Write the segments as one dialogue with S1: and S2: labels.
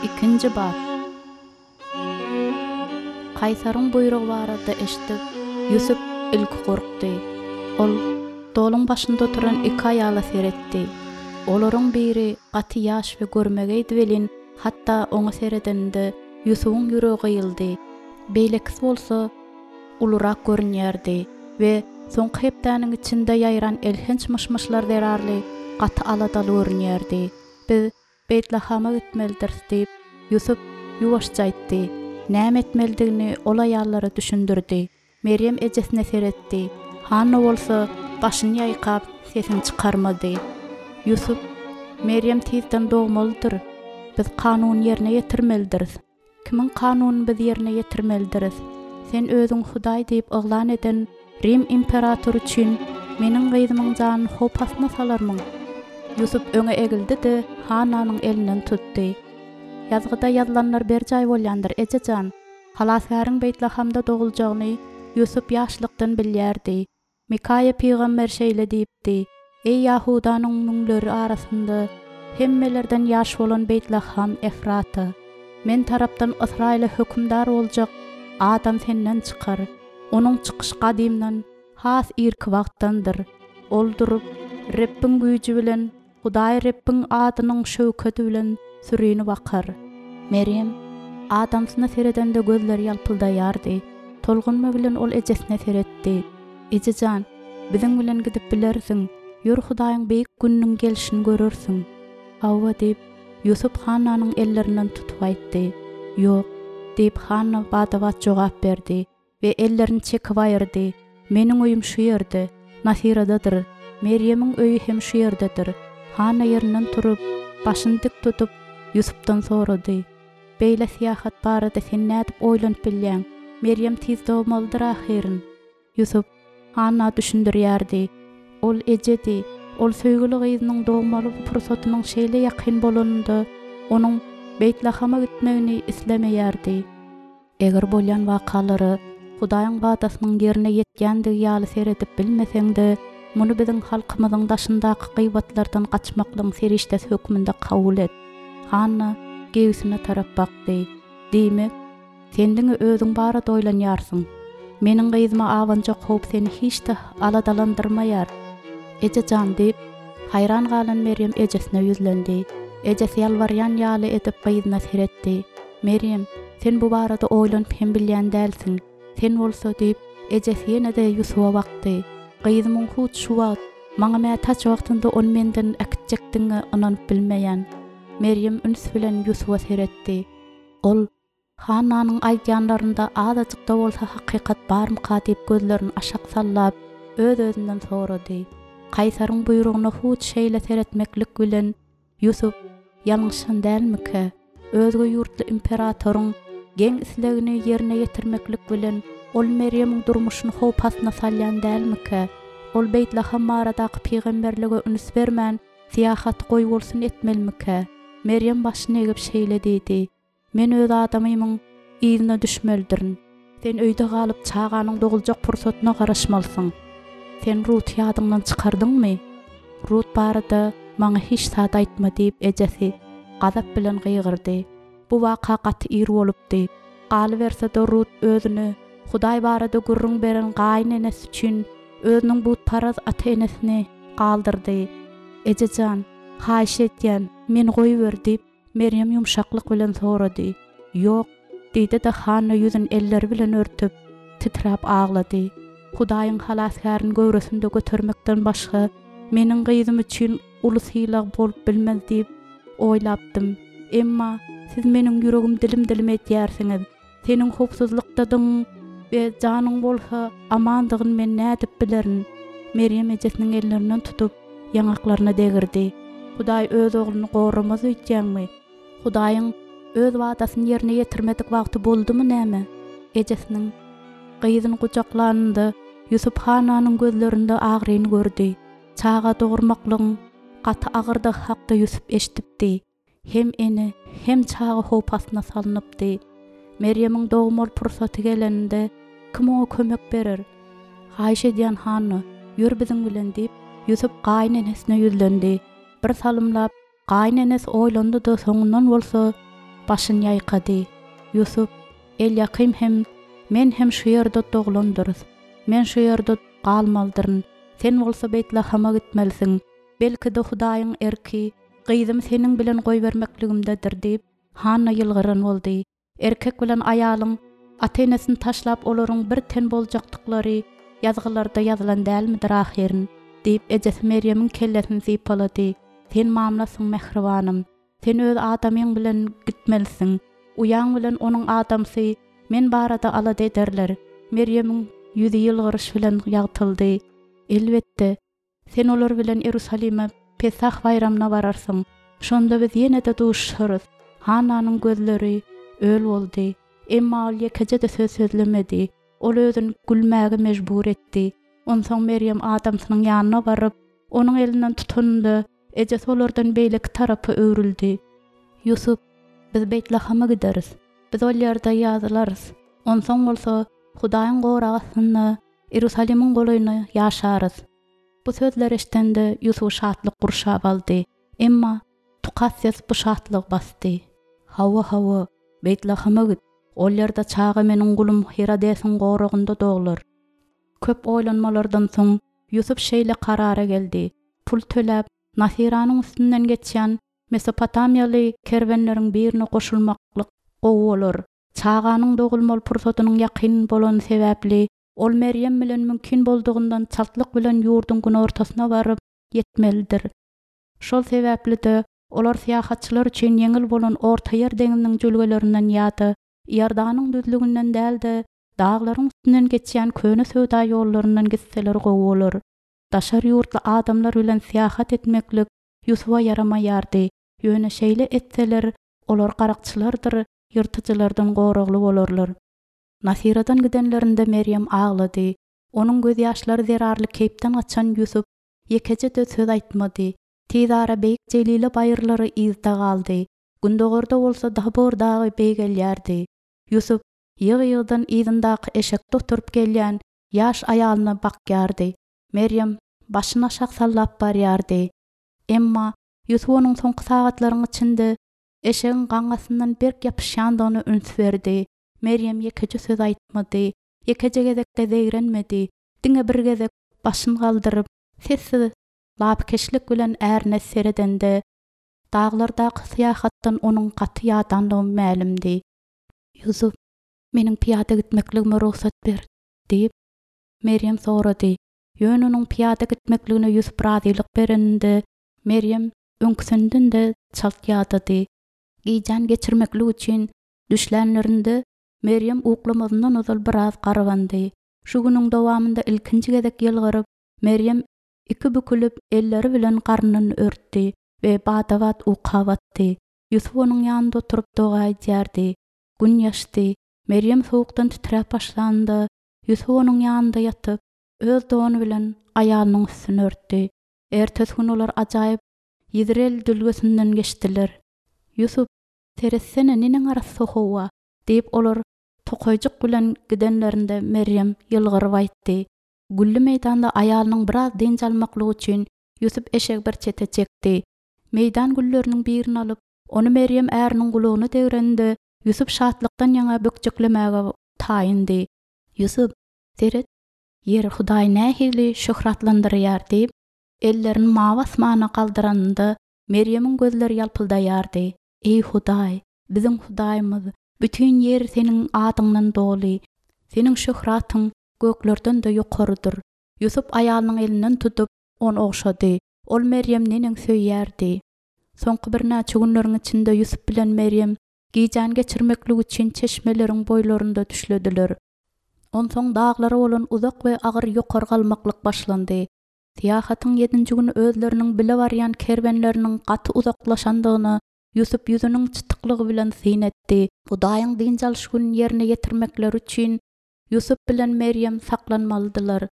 S1: Ikinji bap. Kaýsaryň buýrugy barada eşidip, Ýusup ilki gorkdy. Ol stoluň başynda oturan iki aýala seretdi. Olaryň biri gaty ýaş we görmegeýdi welin, hatda oňa seredeninde Ýusubyň ýüregi gyýyldy. Beýlekisi bolsa ulurak görünýärdi we soňky hepdäniň içinde ýaýran elhenç myş-myşlar zerarly gaty aladaly görünýärdi. Biz Beýtlahama gitmelidiris diýip, Ýusup ýuwaşja aýtdy. Näme etmelidigini ol aýallara düşündirdi. Merýem ejesine seretdi. Hanna bolsa başyny ýaýkap, sesini çykarmady. Ýusup, Merýem tizden dogmalydyr. Biz kanuny ýerine ýetirmelidiris. Kimiň kanunyny biz ýerine ýetirmelidiris? Sen özüňi Hudaý diýip yglan eden Rim imperatory üçin meniň gyzymyň janyny howp astyna salarmyň? Ýusup öňe egildi-de, Hannanyň elinden tutdy. Ýazgyda ýazylanlar berjaý bolýandyr, eje jan! Halasgäriň Beýtlahamda doguljagyny Ýusup ýaşlykdan bilýärdi. Mikaýa pygamber şeýle diýipdi, Eý Ýahudanyň müňleri arasynda hemmelerden ýaş bolan Beýtlaham Efrata! Men tarapdan Ysraýyla hökümdar boljak adam senden çykar. Onuň çykyşy gadymdan, has irki wagtdandyr. Ol durup, Rebbiň güýji bilen Hudaý Rebbiň adynyň şöwkedi bilen sürini bakar. Merýem adamsyna seredende gözleri ýalpyldaýardy. Tolgunma bilen ol ejesine seretdi. Eje jan, biziň bilen gidip bilersiň. Ýör Hudaýyň beýik gününiň gelşini görersiň. Hawa, diýip, Ýusup Hannanyň ellerinden tutup aýtdy. Ýok, diýip, Hanna bada-bat jogap berdi. We ellerini çekip aýyrdy. Meniň öýüm şu ýerde, Nasyradadyr. Merýemiň öýi hem şu ýerdedir. Hanna ýerinden turup, başyny dik tutup, Ýusupdan sorady, Beýle syýahat barada sen nädip oýlanyp bilýäň? Merýem tiz dogmalydyr ahyryn. Ýusup Hanna düşündirýärdi. Ol ejedi. Ol söýgüli gyzynyň dogmaly pursatynyň şeýle ýakyn bolanynda, onuň Beýtlahama gitmegini islemeýärdi. Eger bolýan wakalara Hudaýyň wadasynyň ýerine ýetýändigi ýaly seredip bilmeseň-de, muny biziň halkymyzyň daşyndaky gybatlardan gaçmaklygyň serişdesi hökmünde kabul et. Hanna geýgüsine tarap bakdy. Diýmek, sen diňe özüň barada oýlanýarsyň. Meniň gyzyma abanjak howp seni hiç-de aladalandyrmaýar. Eje jan, diýip, haýran galan Merýem ejesine ýüzlendi. Ejesi ýalbarýan ýaly edip gyzyna seretdi. Merýem, sen bu barada oýlanyp hem bilýän dälsiň. Sen bolsa, diýip, ejesi ýene-de Ýusuba bakdy. Gyzymyň hut şu wagt, maňa mätäç wagtynda ony menden äkitjekdigiňe ynanyp bilmeýän. Merýem üns bilen Ýusuba seretdi. Ol, Hannanyň aýdýanlarynda azajyk-da bolsa hakykat barmyka diýip gözlerini aşak sallap, öz-özünden sorady. Kaýsaryň buýrugyna hut şeýle seretmeklik bilen, Ýusup ýalňyşan dälmikä? Özge ýurtly imperatoryň geň islegini ýerine ýetirmeklik bilen, ol Merýemiň durmuşyny howp astyna salýan dälmikä? Ol Beýtlaham baradaky pygamberlige üns bermän, syýahaty goýbolsun etmelimikä? Merýem başyny egip şeýle diýdi, Men öz adamymyň yzyna düşmelidirin. Sen öýde galyp, çaganyň doguljak pursatyna garaşmalysyň. Sen Ruty ýadyňdan çykardyňmy? Rut barada maňa hiç zat aýtma, diýip, ejesi gazap bilen gygyrdy. Bu waka gaty ir bolupdy. Galyberse-de, Rut özüne Hudaý barada gürrüň beren gaýynenesi üçin özüniň butparaz ata-enesini galdyrdy. Eje jan, haýyş edýän, meni goýber, diýip, Merýem ýumşaklyk bilen sorady. Ýok, diýdi-de Hanna ýüzüni elleri bilen örtüp, titräp aglady. Hudaýyň Halasgärini göwresinde götermekden başga meniň gyzym üçin uly sylag bolup bilmez diýip oýlapdym. Emma siz meniň ýüregimi dilim-dilim edýärsiňiz. Seniň howpsuzlykdadygyň we janyň bolsa amandygyny men nädip bilerin? Merýem ejesiniň ellerinden tutup, ýaňaklaryna degirdi. Hudaý öz ogluny goramaz öýtýäňmi? Hudaýyň Öz wadasyny ýerine ýetirmedik wagty boldumy näme? Ejesiniň gyzyny gujaklanynda, Ýusup Hananyň gözlerinde agyryny gördi. Çaga dogurmaklygyň gaty agyrdygy hakda Ýusup eşidipdi. Hem ene, hem çaga howp astyna salnypdy. Merýemiň dogmaly pursaty geleninde, kim oňa kömek berer? Haýyş edýän, Hanna, ýör biziň bilen, diýip, Ýusup gaýynenesine ýüzlendi. Bir salymlap, gaýynenesi oýlandy-da, soňundan bolsa, başyny ýaýkady. Ýusup, Elýakym hem, men hem şu ýerde doglandyrys. Men şu ýerde galmalydyryn. Sen bolsa Beýtlahama gitmelisiň. Belki-de Hudaýyň erki, gyzymy seniň bilen goýbermekligimdedir diýip, Hanna ýylgyran boldy. Erkek bilen aýalyň ata-enesini taşlap olaryň bir ten boljakdyklary Ýazgylarda ýazylan dälmidir ahyryn? diýip, ejesi Merýemiň kellesini sypalady. Sen mamlasyň, mähribanym. Sen öz adamyň bilen gitmelisiň. Uýaň bilen onuň adamsy men barada alada ederler. Merýemiň ýüzi ýylgyryş bilen ýagtyldy. Elbetde, Sen olar bilen Iýerusalime Pesah baýramyna bararsyň. Şonda biz ýene-de duşuşarys. Hannanyň gözleri öl boldy. Emma ol ýekeje-de söz sözlemedi. Ol özüni gülmäge mejbur etdi. Onsoň Merýem adamsynyň ýanyna baryp, onuň elinden tutanynda, ejesi olardan beýleki tarapa öwrüldi. Ýusup, biz Beýtlahama gideris. Biz ol ýerde ýazylarys. Onsoň bolsa Hudaýyň goragy astynda Iýerusalimiň golaýynda ýaşarys. Bu sözleri eşidende Ýusuby şatlyk gurşap aldy. Emma tukat ses bu şatlygy basdy. Hawa, hawa, Beýtlahama git. Ol ýerde çaga meniň gulum Hirodesiň goragynda doglar. Köp oýlanmalardan soň Ýusup şeýle karara geldi, pul töläp, Nasyranyň üstünden geçýän mesopotamiýaly kerwenleriň birine goşulmaklyk gowy bolar. Çaganyň dogulmaly pursadynyň ýakyn bolany sebäpli, ol Merýem bilen mümkin boldugyndan çaltlyk bilen ýurduň günortasyna baryp ýetmelidir. Şol sebäpli-de, olar syýahatçylar üçin ýeňil bolan Ortaýer deňziniň jülgelerinden ýa-da Iordanyň düzlüginden däl-de, daglaryň üstünden geçýän köne söwda ýollaryndan gitseler gowy bolar. Daşary ýurtly adamlar bilen syýahat etmeklik Ýusuba ýaramaýardy, ýöne şeýle etseler, olar garakçylardyr ýyrtyjylardan goragly bolarlar. Nasyradan gidenlerinde Merýem aglady. Onuň gözýaşlary zerarly keýpden gaçan Ýusup ýekeje-de söz aýtmady. Tizara beýik Jelile baýyrlary yzda galdy. Gündogarda bolsa Tabor dagy beýgelýärdi. Ýusup ýygy-ýygydan yzyndaky eşekde oturyp gelýän ýaş aýalyna bakýardy. Merýem başyny aşak sallap barýardy. Emma Ýusup onuň soňky sagatlaryň içinde eşegiň gaňňasyndan berk ýapyşýandygyna üns berdi. Merýem ýekeje söz aýtmady, ýekeje gezek-de zeýrenmedi, diňe bir gezek başyny galdyryp, sessiz lapykeçlik bilen ärine seredende, daglardaky syýahatdan onuň gaty ýadanlygy mälimdi. Ýusup, meniň pyýada gitmekligime rugsat ber, diýip, Merýem sorady. Ýöne onuň pyýada gitmekligine Ýusup razylyk bereninde, Merýem öňküsinden-de çalt ýadady. Gijäni geçirmeklik üçin düşlänlerinde, Merýem uklamazyndan ozal biraz garbandy. Şu günüň dowamynda ilkinji gezek ýylgyryp, Merýem iki bükülip, elleri bilen garnyny örtdi we bada-bat uka batdy. Ýusup onuň ýanynda oturyp doga edýärdi. Gün ýaşdy. Merýem sowukdan titräp başlanynda, Ýusup onuň ýanynda ýatyp, öz dony bilen aýalynyň üstüni örtdi. Ertesi gün olar ajaýyp Ýizreel jülgesinden geçdiler. Ýusup, Seretsene, neneň arassa howa! diýip, olar tokaýjyk bilen gidenlerinde Merýem ýylgyryp aýtdy. Gülli meýdanda aýalynyň biraz dynç almaklygy üçin Ýusup eşegi bir çete çekdi. Meýdan gülleriniň birini alyp, ony Merýem äriniň gulagyna degreninde, Ýusup şatlykdan ýaňa bökjeklemäge taýyndy. Ýusup, seret, Ýeri Hudaý nähili şöhratlandyrýar diýip, ellerini mawy asmana galdyranynda, Merýemiň gözleri ýalpyldaýardy. Eý, Hudaý, biziň Hudaýymyz, bütin ýer Seniň adyňdan doly, Seniň şöhratyň göklerden-de ýokarydyr. Ýusup aýalynyň elinden tutup, ony ogşady. Ol Merýemi neneň söýýärdi! Soňky birnäçe günleriň içinde Ýusup bilen Merýem gijäni geçirmeklik üçin çeşmeleriň boýlarynda düşlediler. Onsoň daglara bolan uzak we agyr ýokary galmaklyk başlandy. Syýahatyň ýedinji güni özleriniň bile barýan kerwenleriniň gaty uzaklaşandygyna Ýusup ýüzüniň çytyklygy bilen syn etdi. Hudaýyň dynç alyş gününi ýerine ýetirmekleri üçin Ýusup bilen Merýem saklanmalydylar.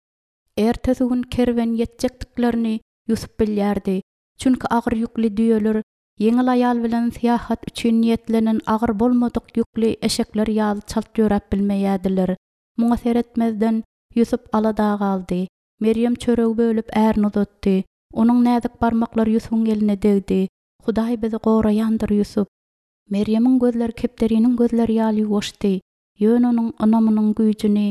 S1: Ertesi gün kerwen ýetjekdiklerini Ýusup bilýärdi. Çünki agyr ýükli düýeler ýeňil aýal bilen syýahat üçin niýetlenen agyr bolmadyk ýükli eşekler ýaly çalt ýöräp bilmeýärdiler. Muňa seretmezden, Ýusup alada galdy. Merýem çöregi bölüp ärine uzatdy. Onuň näzik barmaklary Ýusubyň eline degdi. Hudaý bizi goraýandyr, Ýusup. Merýemiň gözleri kepderiniň gözleri ýaly ýuwaşdy, ýöne onuň ynamynyň güýjüni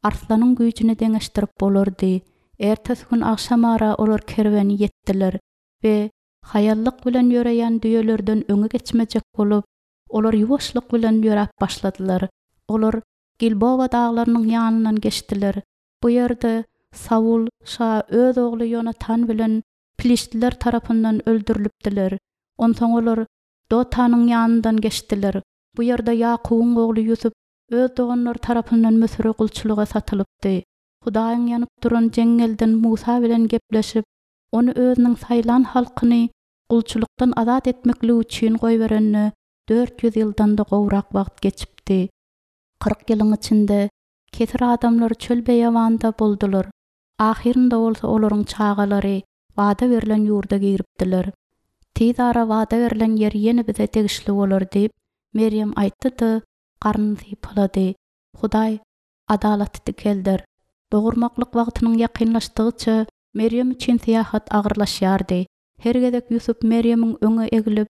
S1: arslanyň güýjüne deňeşdirip bolardy. Ertesi gün agşamara olar kerweni ýetdiler we haýallyk bilen ýöreýän düýelerden öňe geçmejek bolup, olar ýuwaşlyk bilen ýöräp başladylar. Olar Gilbowa daglarynyň ýanyndan geçdiler. Bu ýerde Saul şa öz ogly Ýonatan bilen piliştliler tarapyndan öldürilipdiler. Onsoň olar Dotanyň ýanyndan geçdiler. Bu ýerde Ýakubyň ogly Ýusup öz doganlary tarapyndan Müsüre gulçulyga satylypdy. Hudaýyň ýanyp duran jeňňelden Musa bilen gepleşip, ony özüniň saýlan halkyny gulçulykdan azat etmekligi üçin goýberenine 400 ýyldan-da gowrak wagt geçipdi. 40 ýylyň içinde kesir adamlar çöl-beýewanda boldular, ahyrynda bolsa olaryň çagalary wada berlen ýurda giripdiler. Tizara wada berlen ýer ýene bize degişli bolar diýip, Merýem aýtdy-da, garnyny sypalady. Hudaý adalaty dikelder. Dogurmaklyk wagtynyň ýakynlaşdygyça, Merýem üçin syýahat agyrlaşýardy. Her gezek Ýusup Merýemiň öňe eglip,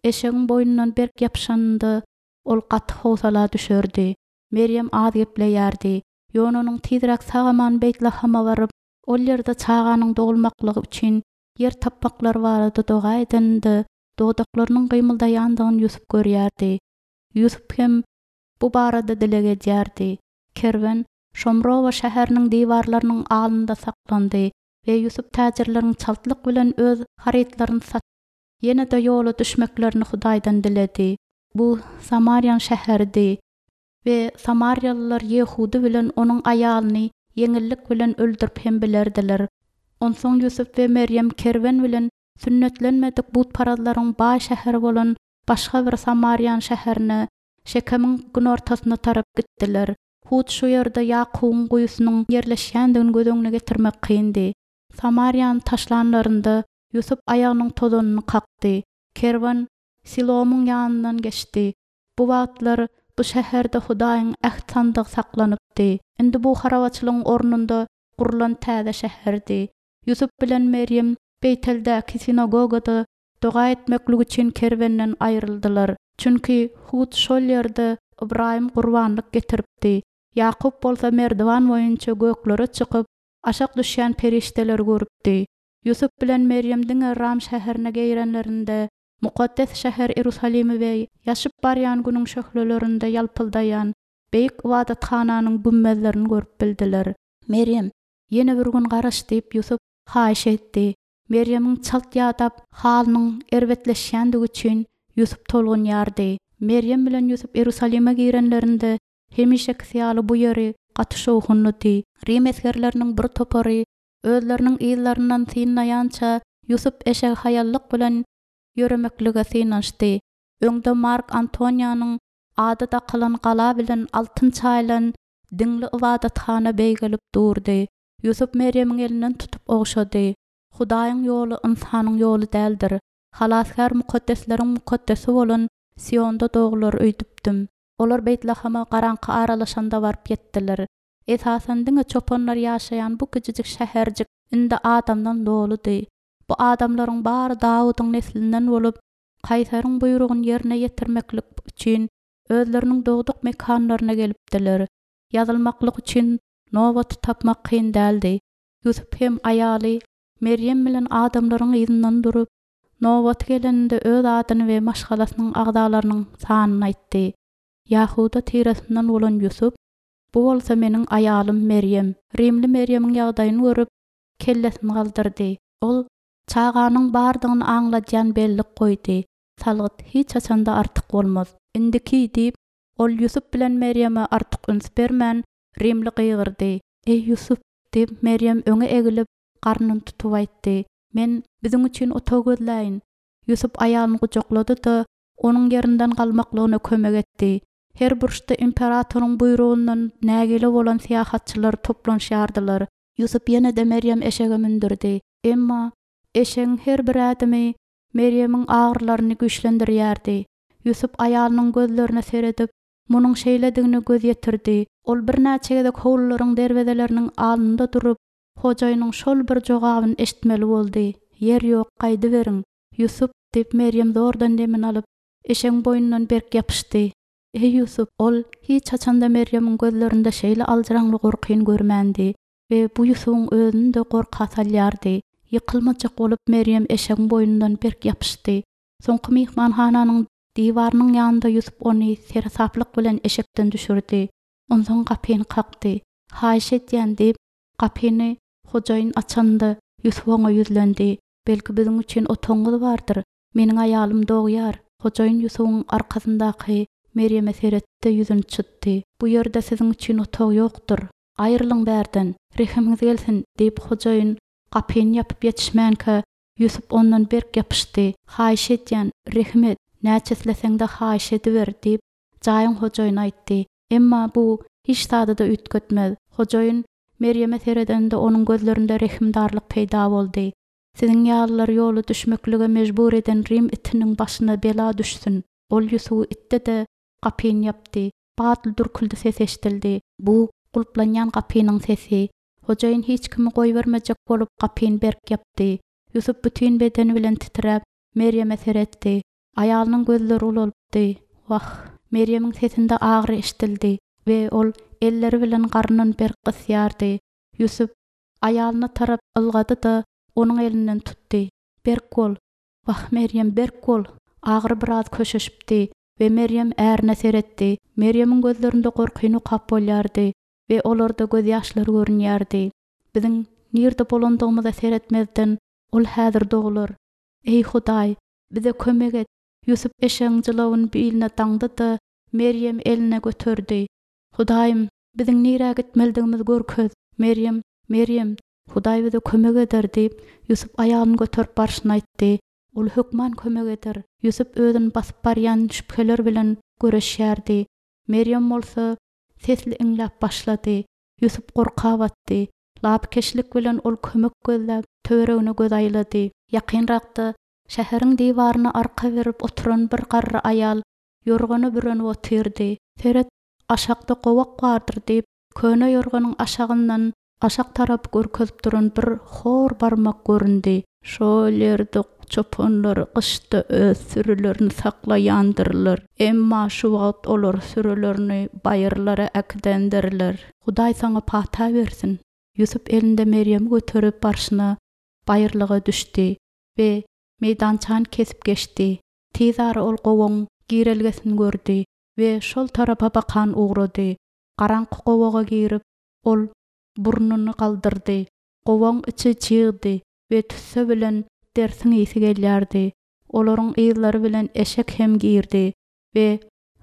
S1: eşegiň boýnundan berk ýapyşanynda, ol gaty howsala düşerdi. Merýem az gepleýärdi. Ýöne onuň tizräk sag-aman Beýtlahama baryp, ol ýerde çaganyň dogulmaklygy üçin ýer tapmaklary barada doga edeninde, dodaklarynyň gymyldaýandygyny Ýusup görýärdi. Ýusup hem bu barada dileg edýärdi. Kerwen Şomrowa şäheriniň diwarlarynyň alnynda saklandy we Ýusup täjirleriň çaltlyk bilen öz harytlaryny satyp, ýene-de ýola düşmeklerini Hudaýdan diledi. Bu Samariýanyň şäheridi we samariýalylar Ýehudy bilen onuň aýalyny ýeňillik bilen öldürip hem bilerdiler. Onsoň Ýusup we Merýem kerwen bilen sünnetlenmedik butparazlaryň baý şäheri bolan başga bir samariýan şäherine, Şekemiň günortasyna tarap gitdiler. Hut şu ýerde Ýakubyň guýusynyň ýerleşýändigini göz öňüne getirmek kyndy. Samariýany taşlanlarynda, Ýusup aýagynyň tozanyny kakdy. Kerwen Silomyň ýanyndan geçdi. Bu wagtlar bu şäherde Hudaýyň äht sandygy saklanypdy. Indi bu harabaçylygyň ornunda gurlan täze şäherdi. Ýusup bilen Merýem Beýteldäki sinagogada doga etmeklik üçin kerwenden aýryldylar. Çünki hut şol ýerde Ybraýym gurbanlyk getiripdi. Ýakup bolsa merdiwan boýunça göklere çykyp, aşak düşýän perişdeleri görüpdi. Ýusup bilen Merýem diňe Ram şäherine girenlerinde, mukaddes şäher Iýerusalimi we ýaşyp barýan günüň şöhlelerinde ýalpyldaýan beýik ybadathananyň gümmezlerini görüp bildiler. Merýem, ýene bir gün garaş diýip, Ýusup haýyş etdi. Merýemiň çalt ýadap, halynyň erbetleşýändigi üçin Ýusup tolgunýardy. Merýem bilen Ýusup Iýerusalime girenlerinde, hemişekisi ýaly bu ýeri gaty şowhunlydy. Rim esgerleriniň bir topary özleriniň yzlaryndan synlaýança, Ýusup eşegi haýallyk bilen ýöremeklige synanyşdy. Öňde Mark Antoniýanyň ady dakylan gala bilen altyn çaýylan diňli ybadathana beýgelip durdy. Ýusup Merýemiň elinden tutup ogşady. Hudaýyň ýoly ynsanyň ýoly däldir. Halasgär mukaddesleriň mukaddesi bolan Sionda doglar öýdüpdim. Olar Beýtlahama garaňky aralaşanda baryp ýetdiler. Esasan diňe çopanlar ýaşaýan bu kiçijik şäherjik indi adamdan doludy. Bu adamlaryň bary Dawudyň neslinden bolup, kaýsaryň buýrugyny ýerine ýetirmeklik üçin özleriniň dogduk mekanlaryna gelipdiler. Ýazylmaklyk üçin nobaty tapmak kyn däldi. Ýusup hem aýaly Merýem bilen adamlaryň yzyndan durup, nobaty geleninde öz adyny we maşgalasynyň agzalarynyň sanyny aýtdy. Ýahuda tiresinden bolan Ýusup, Bu bolsa meniň aýalym Merýem. Rimli Merýemiň ýagdaýyny görüp, kellesini galdyrdy. Ol çaganyň bardygyny aňladýan bellik goýdy. Salgyt hiç haçan-da artyk bolmaz. Indiki, diýip, ol Ýusup bilen Merýeme artyk üns bermän, rimli gygyrdy. Eý, Ýusup! diýip, Merýem öňe egilip, garnyny tutup aýtdy. Men biziň üçin otag gözläýin. Ýusup aýalyny gujaklady-da, onuň ýerinden galmaklygyna kömek etdi. Her burçda imperatoryň buýrugyndan nägile bolan syýahatçylar toplanyşýardylar. Ýusup ýene-de Merýem eşege mündürdi. Emma eşegiň her bir ädimi Merýemiň agyrylaryny güýçlendirýärdi. Ýusup aýalynyň gözlerine seredip, munuň şeýledigine göz ýetirdi. Ol birnäçe gezek howlularyň derwezeleriniň alnynda durup, hojaýynyň şol bir jogabyny eşitmeli boldy, Ýer ýok, gaýdyberiň! Ýusup, diýip, Merýem zordan demini alyp. eşegiň boýnundan berk ýapyşdy. Eý, Ýusup! Ol hiç haçan-da Merýemiň gözlerinde şeýle aljyraňly gorkyny görmändi we bu Ýusubyň özüni-de gorka salýardy. Ýykylmajak bolup Merýem eşegiň boýnundan berk ýapyşdy. Soňky myhmanhananyň diwarynyň ýanynda Ýusup ony seresaplyk bilen eşekden düşürdi. Onsoň gapyny kakdy. Haýyş edýän, diýip, gapyny hojaýyn açanda, Ýusup oňa ýüzlendi. Belki biziň üçin otagyňyz bardyr? Meniň aýalym dogýar. Hojaýyn Ýusubyň arkasyndaky Merýeme seretdi-de ýüzüni çytdy. Bu ýerde siziň üçin otag ýokdur. Aýrylyň bärden! Rehimiňiz gelsin! diýip, hojaýyn gapyny ýapyp ýetişmänkä, Ýusup ondan berk ýapyşdy. Haýyş edýän, rehim et! Näçe isleseň-de haýyş ediber! diýip, jaýyň hojaýyny aýtdy. Emma bu hiç zady-da üýtgetmez. Hojaýyn Merýeme seredende onuň gözlerinde rehimdarlyk peýda boldy. Siziň ýalylary ýola düşmeklige mejbur eden rim itiniň başyna bela düşsün! Ol Ýusuby itdi-de, gapyny ýapdy. Batly dürküldi sesi eşidildi. Bu gulplanýan gapynyň sesi. Hojaýyn hiç kimi goýbermejek bolup gapyny berk ýapdy. Ýusup bütin bedeni bilen titräp, Merýeme seretdi. Aýalynyň gözleri ulalypdy. Wah! Merýemiň sesinde agyry eşidildi we ol elleri bilen garnyny berk gysýardy. Ýusup aýalyna tarap ylgady-da, onuň elinden tutdy. Berk bol! Wah, Merýem, berk bol! Agyry biraz köşeşipdi we Merýem ärine seretdi. Merýemiň gözlerinde gorkyny okap bolýardy we olarda gözýaşlary görünýärdi. Biziň nirde bolandygymyza seretmezden, ol häzir doglar. Eý, Hudaý, bize kömek et! Ýusup eşegiň jylawyny biline daňdy-da, Merýemi eline göterdi. Hudaýym, biziň nirä gitmelidigimizi görkez! Merýem, Merýem, Hudaý bize kömek eder! diýip, Ýusup aýalyny göterip barşyna aýtdy. Ol hökman kömek eder. Ýusup özüni basyp barýan şübheler bilen göreşýärdi. Merýem bolsa sesli iňläp başlady. Ýusup gorka batdy. Lapykeçlik bilen ol kömek gözläp, töweregine göz aýlady. Ýakynrakda şäheriň diwaryna arka berip oturan bir garry aýal ýorgana bürenip otyrdy. Seret, aşakda gowak bardyr diýip, köne ýorganyň aşagyndan aşak tarapy görkezip duran bir hor barmak göründi. Şol ýerde çopanlar gyşda öz sürülerini saklaýandyrlar. Emma şu wagt olar sürülerini baýyrlara äkidendirler. Hudaý saňa pata bersin! Ýusup elinde Merýemi göterip barşyna baýyrlyga düşdi we meýdançany kesip geçdi. Tizara ol gowagyň girelgesini gördi we şol tarapa bakan ugrady. Garaňky gowaga girip, ol burnuny galdyrdy. Gowagyň içi çygdy we tüsse bilen dersiň ysy gelýärdi. Olaryň yzlary bilen eşek hem girdi we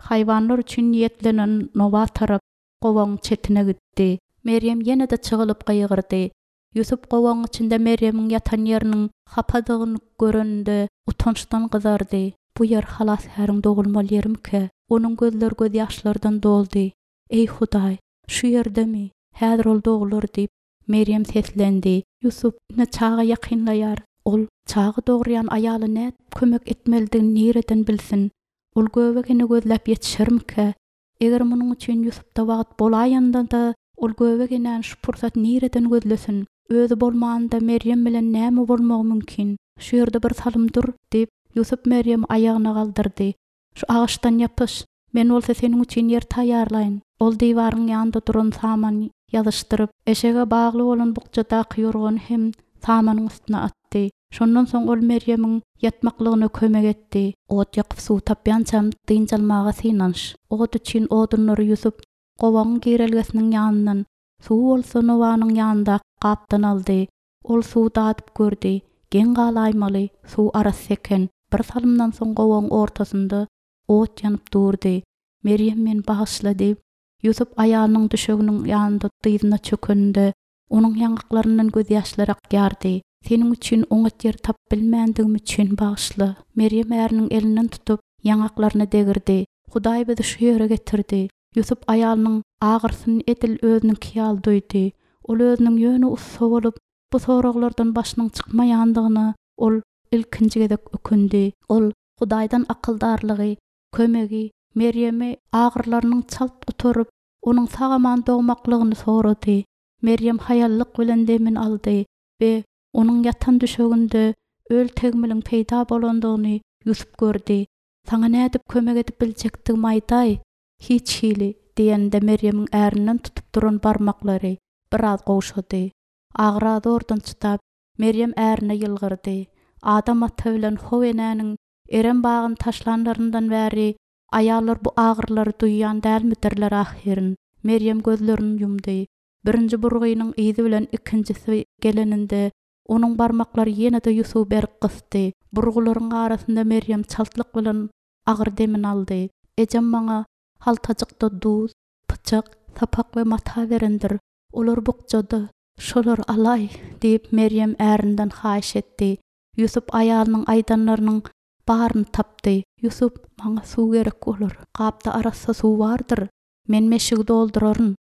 S1: haýwanlar üçin niýetlenen nowa tarap gowagyň çetine gitdi. Merýem ýene-de çygylyp gygyrdy. Ýusup gowagyň içinde Merýemiň ýatan ýeriniň hapadygyny göreninde utançdan gyzardy. Bu ýer Halasgäriň dogulmaly ýerimikä? Onuň gözleri gözýaşlardan doldy. Eý, Hudaý, şu ýerdemi? Häzir ol doglar diýip, Merýem seslendi. Ýusup, ine çaga ýakynlaýar. Ol çaga dogurýan aýala nädip kömek etmelidigini nireden bilsin? Ol göbek ene gözläp ýetişermikä? Eger munuň üçin Ýusupda wagt bolaýanda-da, ol göbek enäni şu pursat nireden gözlesin? Özi bolmanynda Merýem bilen näme bolmagy mümkin? Şu ýerde bir salym dur, diýip, Ýusup Merýemi aýagyna galdyrdy. Şu agaçdan ýapyş, men bolsa seniň üçin ýer taýýarlaýyn. Ol diwaryň ýanynda duran samany ýazyşdyryp, eşege bagly bolan bukjadaky ýorgany hem samanyň üstüne atdy. Şondan soň ol Merýemiň ýatmaklygyna kömek etdi. Ot ýakyp suw tapýançam dynç almaga synanyş. Ot üçin odunlary Ýusup gowagyň girelgesiniň ýanyndan, suwy bolsa nowanyň ýanyndaky gapdan aldy. Ol suwy dadyp gördi. Geň galaýmaly, suw arassa eken. Bir salymdan soň gowagyň ortasynda ot ýanyp durdy. Merýem meni bagyşla diýip, Ýusup aýalynyň düşeginiň ýanynda dyzyna çökeninde, Onuň ýaňaklaryndan gözýaşlar akýardy. Seniň üçin oňat ýer tapyp bilmändigim üçin bagyşla. Merýem äriniň elinden tutup, ýaňaklaryna degirdi. Hudaý bizi şu ýere getirdi. Ýusup aýalynyň agyrsyny edil özüniňki ýaly duýdy. Ol özüniň ýöne ussa bolup, bu soraglardan başynyň çykmaýandygyna ol ilkinji gezek ökündi. Ol Hudaýdan akyldarlygy, kömegi, Merýemi agyrlarynyň çalt gutaryp, onuň sag-aman dogmaklygyny sorady. Merýem haýallyk bilen demini aldy we onuň ýatan düşeginde öl tegmiliň peýda bolandygyny Ýusup gördi. Saňa nädip kömek edip biljekdigimi aýdaý. Hiç hili, diýeninde Merýemiň ärinden tutup duran barmaklary biraz gowşady. Agyra zordan çydap, Merýem ärine ýylgyrdy. Adam ata bilen How enäniň Erem bagyny taşlanlaryndan bäri aýallar bu agyrylary duýýan dälmidirler ahyryn? Merýem gözlerini ýumdy. Birinji burgynyň yzy bilen ikinjisi geleninde, onuň barmaklary ýene-de Ýusuby berk gysdy. Burgularyň arasynda Merýem çaltlyk bilen agyr demini aldy. Ejem maňa haltajykda duz, pyçak, sapak we mata berendir. Olar bukjada. Şolary alaý, diýip, Merýem ärinden haýyş etdi. Ýusup aýalynyň aýdanlarynyň baryny tapdy. Ýusup, maňa suw gerek bolar. Gapda arassa suw bardyr. Men meşigi dolduraryn.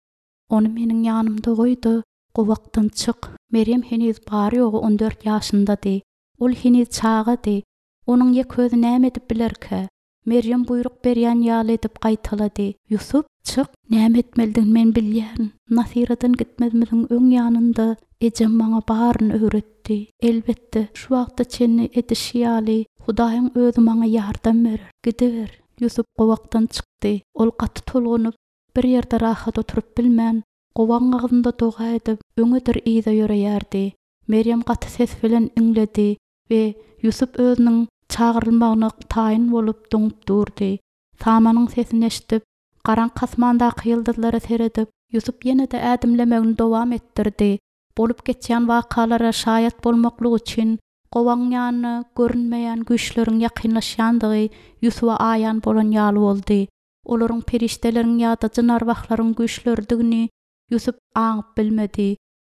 S1: Ony meniň ýanymda goý-da, gowakdan çyk. Merýem heniz bary-ýogy on dört ýaşyndady. Ol heniz çagady. Onuň ýeke özi näme edip bilerkä? Merýem buýruk berýän ýaly edip gaýtalady, Ýusup, çyk! Näme etmelidigini men bilýärin. Nasyradan gitmezimiziň öň ýanynda ejem maňa baryny öwretdi. Elbetde, şu wagta çenli edişi ýaly, Hudaýyň özi maňa ýardam berer. Gidiber. Ýusup gowakdan çykdy. Ol gaty tolgunyp, bir ýerde rahat oturyp bilmän, gowagyň agzynda doga edip, öňedir yza ýöreýärdi. Merýem gaty ses bilen iňledi we Ýusup özüniň çagyrylmagyna taýyn bolup doňup durdy. Samanyň sesini eşidip, garaňky asmandaky ýyldyzlara seredip, Ýusup ýene-de ädimlemegini dowam etdirdi. Bolup geçýän wakalara şaýat bolmaklyk üçin gowagyň ýanyna görünmeýän güýçleriň ýakynlaşýandygy Ýusuba aýan bolan ýaly boldy. Olaryň perişdeleriň ýa-da jyn-arwahlaryň güýçleridigini Ýusup aňyp bilmedi.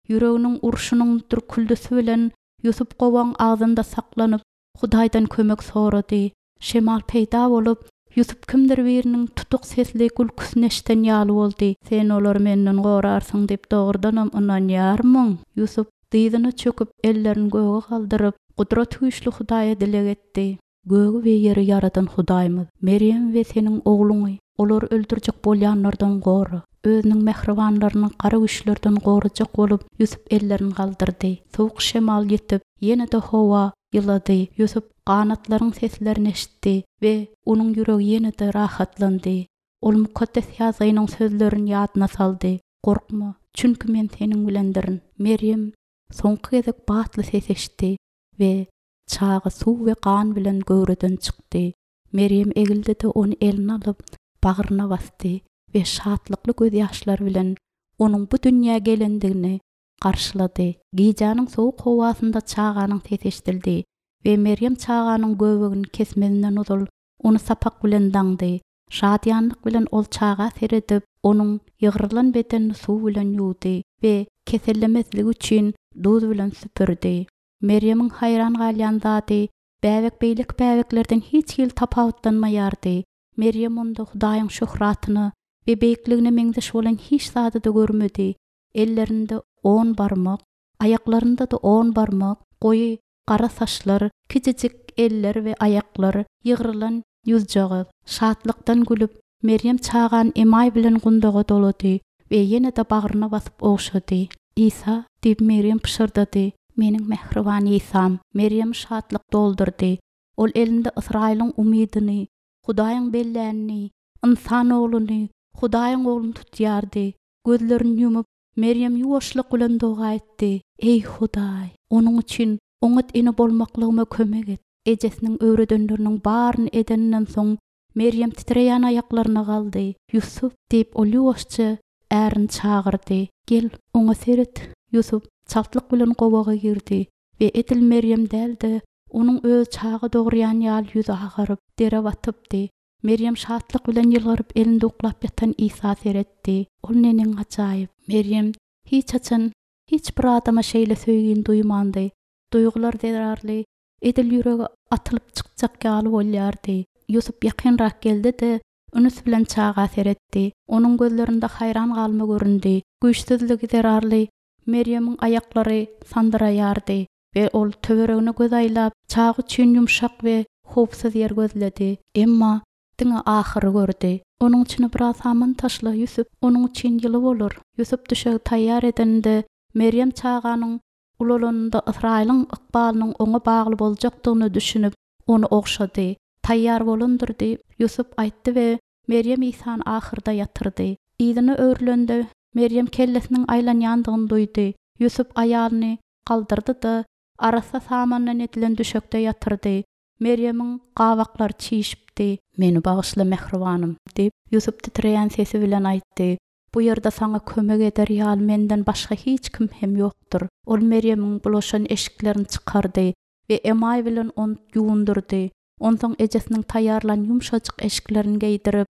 S1: Ýüreginiň urşunyň dürküldisi bilen Ýusup gowagyň agzynda saklanyp, Hudaýdan kömek sorady. Şemal peýda bolup, Ýusup kimdir biriniň tutuk sesli gülküsini eşiden ýaly boldy. Sen olary menden gorarsyň diýip dogrudanam ynanýarmyň? Ýusup dyzyna çöküp, ellerini göge galdyryp, Gudratygüýçli Hudaýa dileg etdi. Gögi we ýeri ýaradan Hudaýymyz, Merýemi we seniň Ogluňy olary öldürjek bolýanlardan gora. Özüniň mähribanlaryny gara güýçlerden gorajak bolup, Ýusup ellerini galdyrdy. Sowuk şemal ýetip, ýene-de howa ýylady. Ýusup ganatlaryň seslerini eşitdi we onuň ýüregi ýene-de rahatlandy. Ol Mukaddes Ýazgynyň sözlerini ýadyna saldy, Gorkma, çünki Men seniň bilendirin. Merýem soňky gezek batly ses eşitdi we Çaga suw we gan bilen göwreden çykdy. Merýem egildi-de ony eline alyp, bagryna basdy we şatlykly gözýaşlar bilen onuň bu dünýä gelendigini garşylady. Gijäniň sowuk howasynda çaganyň sesi eşidildi we Merýem çaganyň göbegini kesmezinden ozal ony sapak bilen daňdy. Şadyýanlyk bilen ol çaga seredip, onuň ýygrylan bedenini suw bilen ýuwdy we kesellemezligi üçin duz bilen süpürdi. Merýemiň haýran galýan zady, bäbek beýleki bäbeklerden hiç hili tapawutlanmaýardy. Merýem onda Hudaýyň şöhratyna we beýikligine meňzeş bolan hiç zady-da görmedi. Ellerinde on barmak, aýaklarynda-da on barmak, goýy gara saçlar, kiçijik eller we aýaklar, ýygrylan ýüzjagaz. Şatlykdan gülüp, Merýem çagany emaý bilen gundaga dolady we ýene-de bagryna basyp ogşady. Isa, diýip, Merýem pyşyrdady, meniň mähriban Isam! Merýemi şatlyk doldurdy. Ol elinde Ysraýylyň umydyny, Hudaýyň bellänini, Ynsan Ogluny, Hudaýyň Ogluny tutýardy. Gözlerini ýumup, Merýem ýuwaşlyk bilen doga etdi, Eý, Hudaý, onuň üçin oňat ene bolmaklygyma kömek et. Ejesiniň öwredenleriniň baryny edeninden soň, Merýem titreýän aýaklaryna galdy. Ýusup! diýip, ol ýuwaşja ärini çagyrdy. Gel, oňa seret! Ýusup çaltlyk bilen gowaga girdi we edil Merýem däl-de, onuň özi çaga dogurýan ýaly ýüzi agaryp, dere batypdy. Merýem şatlyk bilen ýylgyryp elinde uklap ýatan Isa seretdi. Ol neneň ajaýyp! Merýem hiç haçan hiç bir adama şeýle söýgini duýmandy. Duýgular zerarly edil ýüregi atylyp çykjak ýaly bolýardy. Ýusup ýakynrak geldi-de, ünüs bilen çaga seretdi. Onuň gözlerinde haýran galma göründi. Güýçsüzligi zerarly Merýemiň aýaklary sandyraýardy we ol töweregine göz aýlap, çaga üçin ýumşak we howpsuz ýer gözledi. Emma diňe ahyry gördi. Onuň içine biraz saman taşla, Ýusup, onuň üçin ýyly bolar. Ýusup düşegi taýýar edeninde, Merýem çaganyň Ulalanynda Ysraýylyň ykbalynyň oňa bagly boljakdygyna düşünip, ony ogşady. Taýýar bolandyr diýip, Ýusup aýtdy we Merýem Isany ahyrda ýatyrdy. Yzyna öwrülende, Merýem kellesiniň aýlanýandygyny duýdy. Ýusup aýalyny galdyrdy-da, arassa samandan edilen düşekde ýatyrdy. Merýemiň gabaklary çişipdi. Meni bagyşla, mähribanym, diýip, Ýusup titreýän sesi bilen aýtdy. Bu ýerde saňa kömek eder ýaly menden başga hiç kim hem ýokdur. Ol Merýemiň bulaşan eşiklerini çykardy we emaý bilen ony ýuwundyrdy. Onsoň ejesiniň taýýarlan ýumşajyk eşiklerini geýdirip,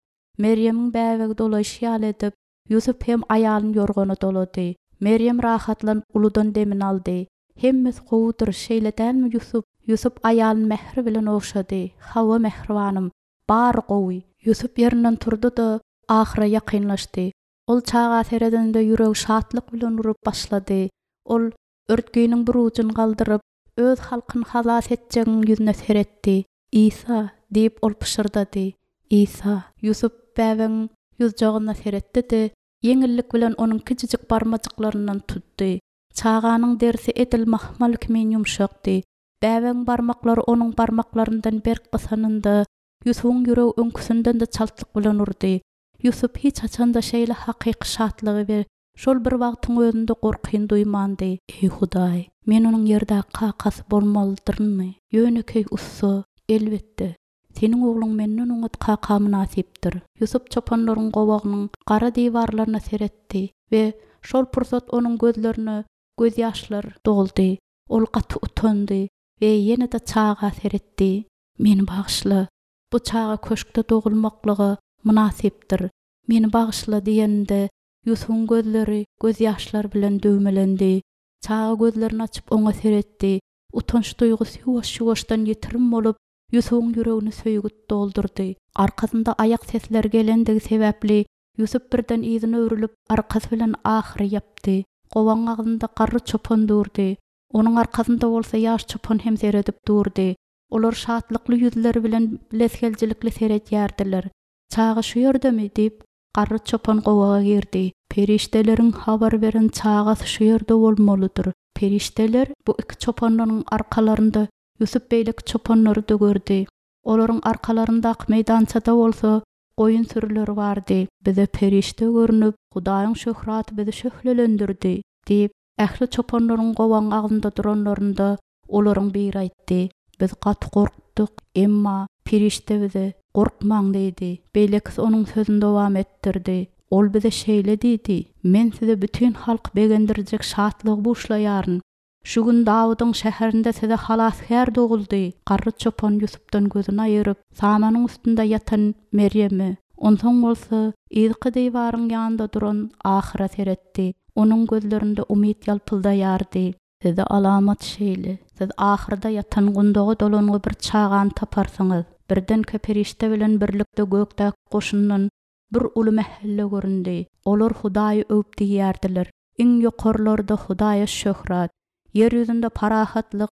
S1: Merýemiň bäbegi dolaýşy ýaly edip, Ýusup hem aýalyny ýorgana dolady. Merýem rahatlanyp uludan demini aldy. Hemmesi gowudyr, şeýle dälmi, Ýusup? Ýusup aýalyny mähir bilen ogşady. Hawa, mähribanym, bary gowy. Ýusup ýerinden turdy-da, ahyra ýakynlaşdy. Ol çaga seredende ýüregi şatlyk bilen urup başlady. Ol örtginiň bir ujuny galdyryp, öz halkyny halas etjegiň ýüzüne seretdi. Isa! diýip, ol pyşyrdady. Isa! Ýusup bäbegiň ýuzjagyna seretdi-de, ýeňillik bilen onuň kiçijik barmajyklaryndan tutdy. Çaganyň derisi edil mahmal kimin ýumşakdy. Bäbegiň barmaklary onuň barmaklaryndan berk gysanynda, Ýusubyň ýüregi öňküsinden-de çaltlyk bilen urdy. Ýusup hiç haçan-da şeýle hakyky şatlygy we şol bir wagtyň özünde gorkyny duýmandy. Eý, Hudaý, men onuň ýerdäki kakasy bolmalydyrynmy? Ýönekeý ussa, elbetde, Seniň ogluň menden oňat kaka mynasypdyr. Ýusup çopanlaryň gowagynyň gara diwarlaryna seretdi we şol pursat onuň gözlerine gözýaşlar doldy. Ol gaty utandy we ýene-de çaga seretdi. Meni bagyşla. Bu çaga köşkde dogulmaklyga mynasypdyr. Meni bagyşla diýeninde, Ýusubyň gözleri gözýaşlar bilen düwmelendi. Çaga gözlerini açyp oňa seretdi. Utanç duýgusy ýuwaş-ýuwaşdan ýitirim bolup, Ýusubyň ýüregini söýgi doldurdy. Arkasynda aýak sesleri gelendigi sebäpli, Ýusup birden yzyna öwrülip, arkasy bilen ahyry ýapdy. Gowagyň agzynda garry çopan durdy. Onuň arkasynda bolsa ýaş çopan hem seredip durdy. Olar şatlykly ýüzleri bilen bilesigeljilikli seredýärdiler. Çaga şu ýerdemi? diýip, garry çopan gowaga girdi. Perişdeleriň habar beren çagasy şu ýerde bolmalydyr. Perişdeler bu iki çopanlaryň arkalarynda Ýusup beýleki çopanlary-da gördi. Olaryň arkalaryndaky meýdançada bolsa goýun sürüleri bardy. Bize perişde görnüp, Hudaýyň şöhraty bizi şöhlelendirdi, diýip, ähli çopanlaryň gowagyň agzynda duranlarynda, olaryň biri aýtdy. Biz gaty gorkduk, emma perişde bize, Gorkmaň diýdi. Beýlekisi onuň sözüni dowam etdirdi. Ol bize şeýle diýdi, Men size bütin halky begendirjek şatlygy buşlaýaryn. Şu gün Dawudyň şäherinde size Halasgär doguldy. Garry çopan Ýusupdan gözüni aýyryp, samanyň üstünde ýatan Merýeme, onsoň bolsa yzky diwaryň ýanynda duran ahyra seretdi. Onuň gözlerinde umyt ýalpyldaýardy. Size alamat şeýle, siz ahyrda ýatan gundaga dolangy bir çagany taparsyňyz. Birdenkä perişde bilen birlikde gökdäki goşundan bir uly mähelle göründi. Olar Hudaýy öwüp diýýärdiler, Iň ýokarlarda Hudaýa şöhrat, ýer ýüzünde parahatlyk,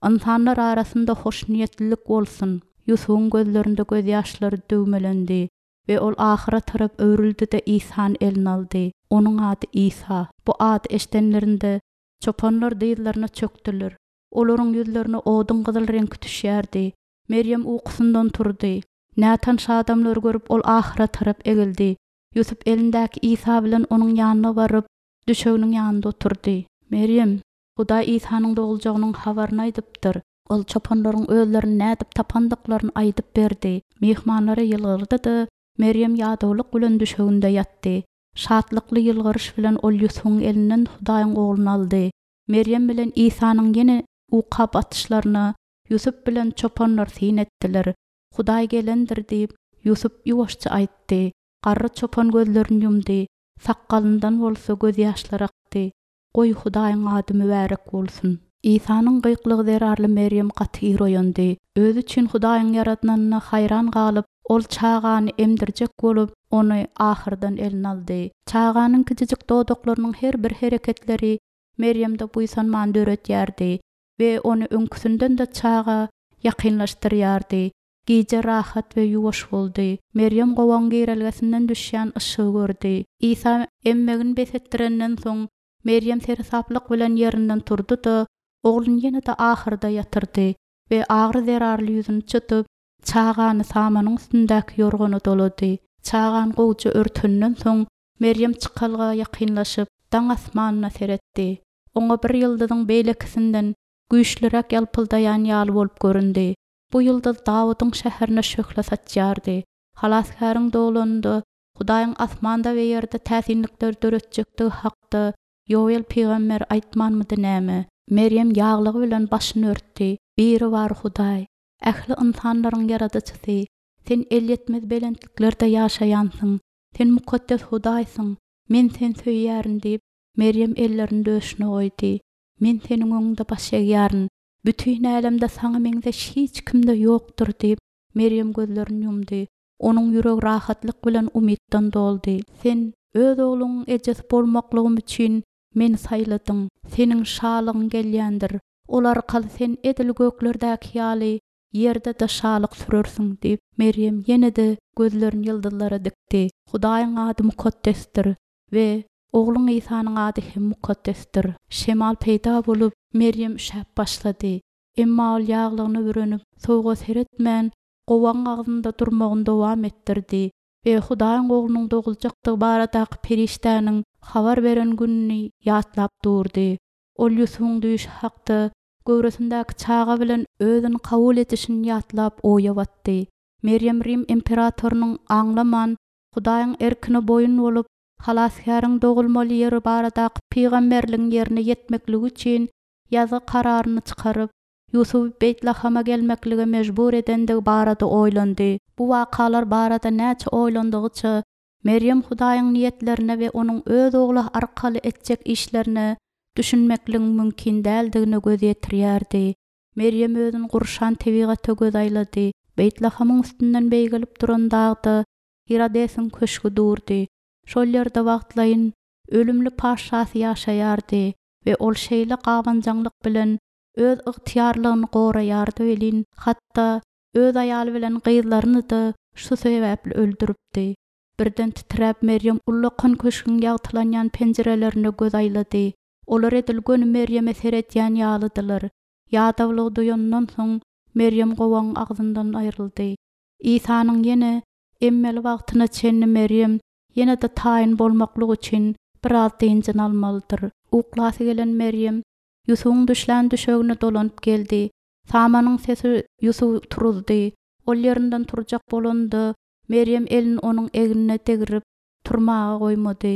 S1: ynsanlar arasynda hoşniýetlilik bolsun! Ýusubyň gözlerinde gözýaşlary düwmelendi we ol ahyra tarap öwrüldi-de Isany eline aldy. Onuň ady Isa. Bu ady eşidenlerinde, çopanlar dyzlaryna çökdüler. Olaryň ýüzlerine oduň gyzyl reňki düşýärdi. Merýem ukusyndan turdy. Nätanyş adamlary görüp, ol ahyra tarap egildi. Ýusup elindäki Isa bilen onuň ýanyna baryp, düşeginiň ýanynda oturdy. Merýem, Hudaý Isanyň doguljagynyň habaryny aýdypdyr. Ol çopanlaryň özlerini nädip tapandyklaryny aýdyp berdi. Myhmanlara ýylgyrdy-da, Merýem ýadawlyk bilen düşeginde ýatdy. Şatlykly ýylgyryş bilen ol Ýusubyň elinden Hudaýyň Ogluny aldy. Merýem bilen Isanyň ýene uka batyşlaryna Ýusup bilen çopanlar syn etdiler. Hudaý gelendir diýip, Ýusup ýuwaşja aýtdy. Garry çopan gözlerini ýumdy, sakgalyndan bolsa gözýaşlar akdy. Goý, Hudaýyň ady mübärek bolsun! Isanyň gykylygy zerarly Merýem gaty ir oýandy. Özi üçin Hudaýyň ýaradanyna haýran galyp, ol çagany emdirjek bolup, ony ahyrdan eline aldy. Çaganyň kiçijik dodaklarynyň her bir hereketleri Merýemde buýsanmany döredýärdi. We ony öňküsinden-de çaga ýakynlaşdyrýardy. Gije rahat we ýuwaş boldy. Merýem gowagyň girelgesinden düşýän yşygy gördi. Isa emmegini bes etdirenden soň, Merýem seresaplyk bilen ýerinden turdy-da, ogluny ýene-de ahyrda ýatyrdy we agyry zerarly ýüzüni çytyp. Çagany samanyň üstündäki ýorgana dolady. Çagany gowuja örtenden soň, Merýem çykalga ýakynlaşyp, daň asmanyna seretdi. Oňa bir ýyldyzyň beýlekisinden güýçlüräk ýalpyldaýan ýaly bolup göründi. Bu ýyldyz Dawudyň şäherine şöhle saçýardy. Halasgäriň doglanynda Hudaýyň asmanda we ýerde täsinlikler döretjekdigi hakda Ýowel pygamber aýtmanmydy näme? Merýem ýaglygy bilen başyny örtdi. Biribar Hudaý, ähli ynsanlaryň Ýaradyjysy, Sen elýetmez belentliklerde ýaşaýansyň, Sen mukaddes Hudaýsyň, men Seni söýýärin diýip, Merýem ellerini döşüne goýdy. Men Seniň öňüňde baş egýärin. Bütin älemde Saňa meňzeş hiç kim-de ýokdur diýip, Merýem gözlerini ýumdy. Onuň ýüregi rahatlyk bilen umytdan doldy. Sen Öz ogluňyň ejesi bolmaklygym üçin meni saýladyň. Seniň şalygyň gelýändir. Ol arkaly sen edil göklerdäki ýaly ýerde-de şalyk sürersiň diýip, Merýem ýene-de gözlerini ýyldyzlara dikdi. Hudaýyň ady mukaddesdir we Ogluň Isanyň ady hem mukaddesdir. Şemal peýda bolup, Merýem üşäp başlady. Emma ol ýaglygyna bürenip, sowuga seretmän, gowagyň agzynda durmagyny dowam etdirdi we Hudaýyň Oglunyň doguljakdygy baradaky perişdäniň habar beren gününi ýatlap durdy. Ol Ýusubyň düýşi hakda, göwresindäki çaga bilen özüni kabul edişini ýatlap oýa batdy. Merýem Rim imperatorynyň aňlaman, Hudaýyň erkine boýun bolup, Halasgäriň dogulmaly ýeri baradaky pygamberligiň ýerine ýetmekligi üçin ýazgy kararyny çykaryp, Ýusuby Beýtlahama gelmeklige mejbur edendigi barada oýlandy. Bu wakalar barada näçe oýlandygyça, Merýem Hudaýyň niýetlerine we Onuň Öz Ogly arkaly etjek işlerine düşünmekligiň mümkin däldigine göz ýetirýärdi. Merýem özüni gurşan tebigata göz aýlady. Beýtlahamyň üstünden beýgelip duran dagda Hirodesiň köşgi durdy. Şol ýerde wagtlaýyn ölümli paşşasy ýaşaýardy we ol şeýle gabanjaňlyk bilen öz ygtyýarlygyny goraýardy welin, hatda öz aýaly bilen gyzlaryny-da şu sebäpli öldüripdi. Birden titräp Merýem ullakan köşgüň ýagtylanýan penjirelerine göz aýlady. Olar edil göni Merýeme seredýän ýalydylar. Ýadawlygy duýandan soň, Merýem gowagyň agzyndan aýryldy. Isanyň ýene emmeli wagtyna çenli Merýem ýene-de taýyn bolmaklyk üçin biraz dynjyny almalydyr. Uklasy gelen Merýem Ýusubyň düşlän düşegine dolanyp geldi. Samanyň sesi Ýusuby turuzdy. Ol ýerinden turjak bolanda, Merýem elini onuň egnine degrip, turmaga goýmady.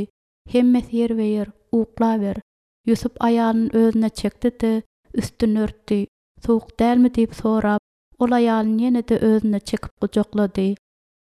S1: Hemmesi ýerbe-ýer, uklaber. Ýusup aýalyny özüne çekdi-de, üstüni örtdi. Sowuk dälmi diýip sorap, ol aýalyny ýene-de özüne çekip gujaklady.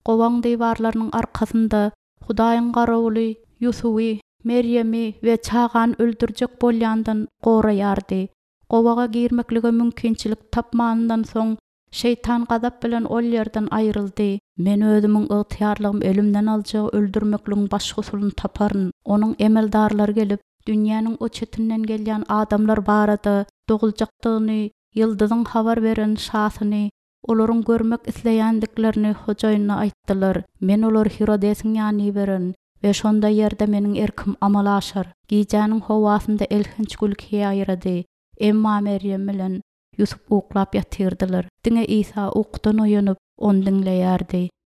S1: Gowagyň diwarlarynyň arkasynda Hudaýyň garawuly Ýusuby, Merýemi we çagany öldürjek bolýandan goraýardy. Gowaga girmeklige mümkinçilik tapmanyndan soň, şeýtan gazap bilen ol ýerden aýryldy. Men özümiň ygtyýarlygym elimden aljagy öldürmekligiň başga usulyny taparyn. Onuň emeldarlary gelip, dünýäniň o çetinden gelýän adamlar barada doguljakdygyny ýyldyzyň habar beren şasyny olaryň görmek isleýändiklerini hojaýynyna aýtdylar. Men olary Hirodesiň ýanyna ibererin we şonda ýerde meniň erkim amala aşar. Gijäniň howasynda elhenç gülki ýaýrady. Emma Merýem bilen Ýusup uklap ýatyrdylar. Diňe Isa ukudan oýanyp, ony diňleýärdi.